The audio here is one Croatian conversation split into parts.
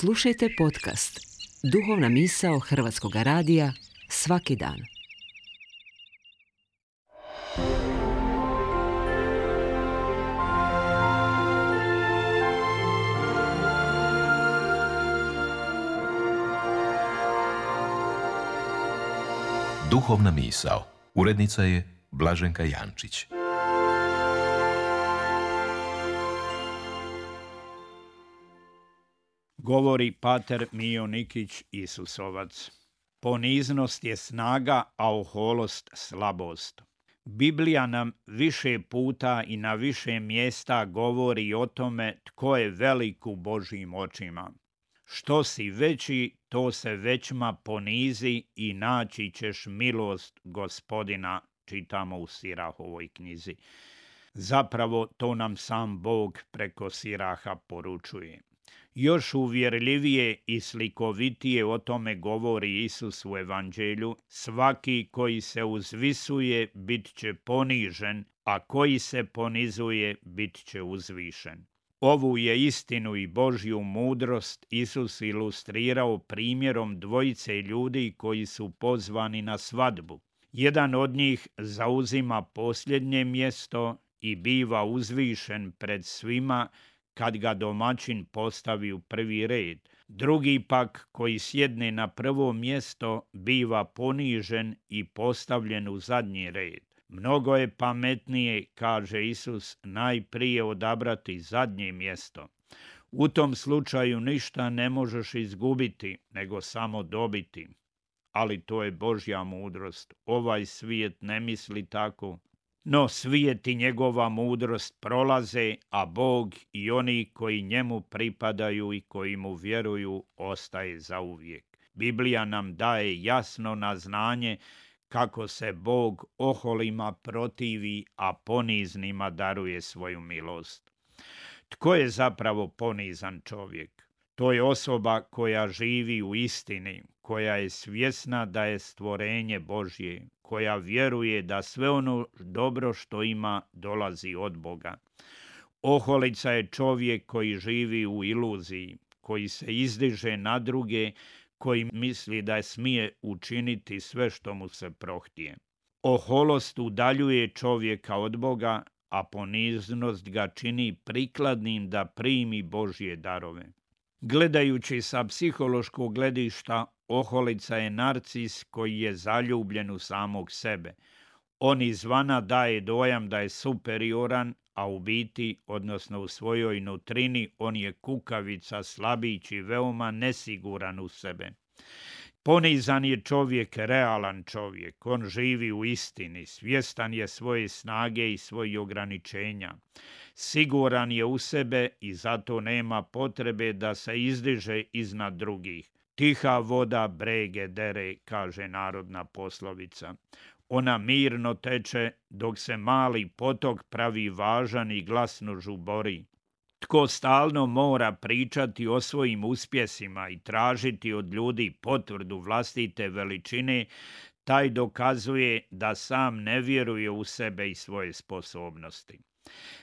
Slušajte podcast Duhovna misao Hrvatskog radija svaki dan. Duhovna misao. Urednica je Blaženka Jančić. Govori pater Mijo Nikić Isusovac. Poniznost je snaga, a oholost slabost. Biblija nam više puta i na više mjesta govori o tome tko je velik u Božjim očima. Što si veći, to se većma ponizi i naći ćeš milost Gospodina, čitamo u Sirahovoj knjizi. Zapravo to nam sam Bog preko Siraha poručuje. Još uvjerljivije i slikovitije o tome govori Isus u Evanđelju: svaki koji se uzvisuje bit će ponižen, a koji se ponizuje bit će uzvišen. Ovu je istinu i Božju mudrost Isus ilustrirao primjerom dvojice ljudi koji su pozvani na svadbu. Jedan od njih zauzima posljednje mjesto i biva uzvišen pred svima kad ga domaćin postavi u prvi red. Drugi pak, koji sjedne na prvo mjesto, biva ponižen i postavljen u zadnji red. Mnogo je pametnije, kaže Isus, najprije odabrati zadnje mjesto. U tom slučaju ništa ne možeš izgubiti, nego samo dobiti. Ali to je Božja mudrost. Ovaj svijet ne misli tako. No svijet i njegova mudrost prolaze, a Bog i oni koji njemu pripadaju i koji mu vjeruju ostaje zauvijek. Biblija nam daje jasno na znanje kako se Bog oholima protivi, a poniznima daruje svoju milost. Tko je zapravo ponizan čovjek? To je osoba koja živi u istini, koja je svjesna da je stvorenje Božje, koja vjeruje da sve ono dobro što ima dolazi od Boga. Oholica je čovjek koji živi u iluziji, koji se izdiže na druge, koji misli da smije učiniti sve što mu se prohtije. Oholost udaljuje čovjeka od Boga, a poniznost ga čini prikladnim da primi Božje darove. Gledajući sa psihološkog gledišta, oholica je narcis koji je zaljubljen u samog sebe. On izvana daje dojam da je superioran, a u biti, odnosno u svojoj nutrini, on je kukavica, slabić i veoma nesiguran u sebe. Ponizan je čovjek, realan čovjek. On živi u istini, svjestan je svoje snage i svojih ograničenja. Siguran je u sebe i zato nema potrebe da se izdiže iznad drugih. Tiha voda brege dere, kaže narodna poslovica. Ona mirno teče dok se mali potok pravi važan i glasno žubori. Tko stalno mora pričati o svojim uspjesima i tražiti od ljudi potvrdu vlastite veličine, taj dokazuje da sam ne vjeruje u sebe i svoje sposobnosti.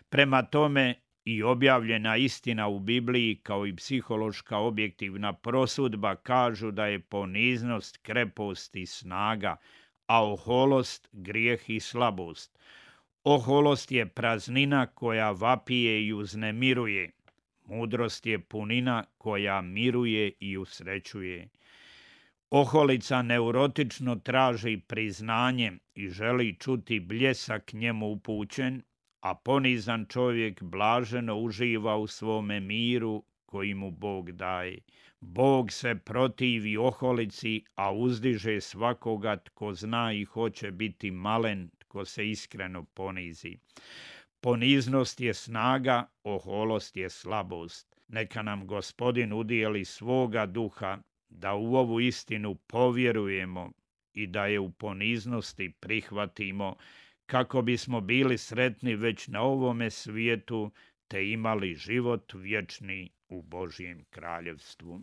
Prema tome, i objavljena istina u Bibliji kao i psihološka objektivna prosudba kažu da je poniznost krepost i snaga, a oholost grijeh i slabost. Oholost je praznina koja vapije i uznemiruje. Mudrost je punina koja miruje i usrećuje. Oholica neurotično traži priznanje i želi čuti bljesak njemu upućen, a ponizan čovjek blaženo uživa u svome miru koji mu Bog daje. Bog se protivi oholici, a uzdiže svakoga tko zna i hoće biti malen, tko se iskreno ponizi. Poniznost je snaga, oholost je slabost. Neka nam Gospodin udijeli svoga duha da u ovu istinu povjerujemo i da je u poniznosti prihvatimo, kako bismo bili sretni već na ovome svijetu te imali život vječni u Božjem kraljevstvu.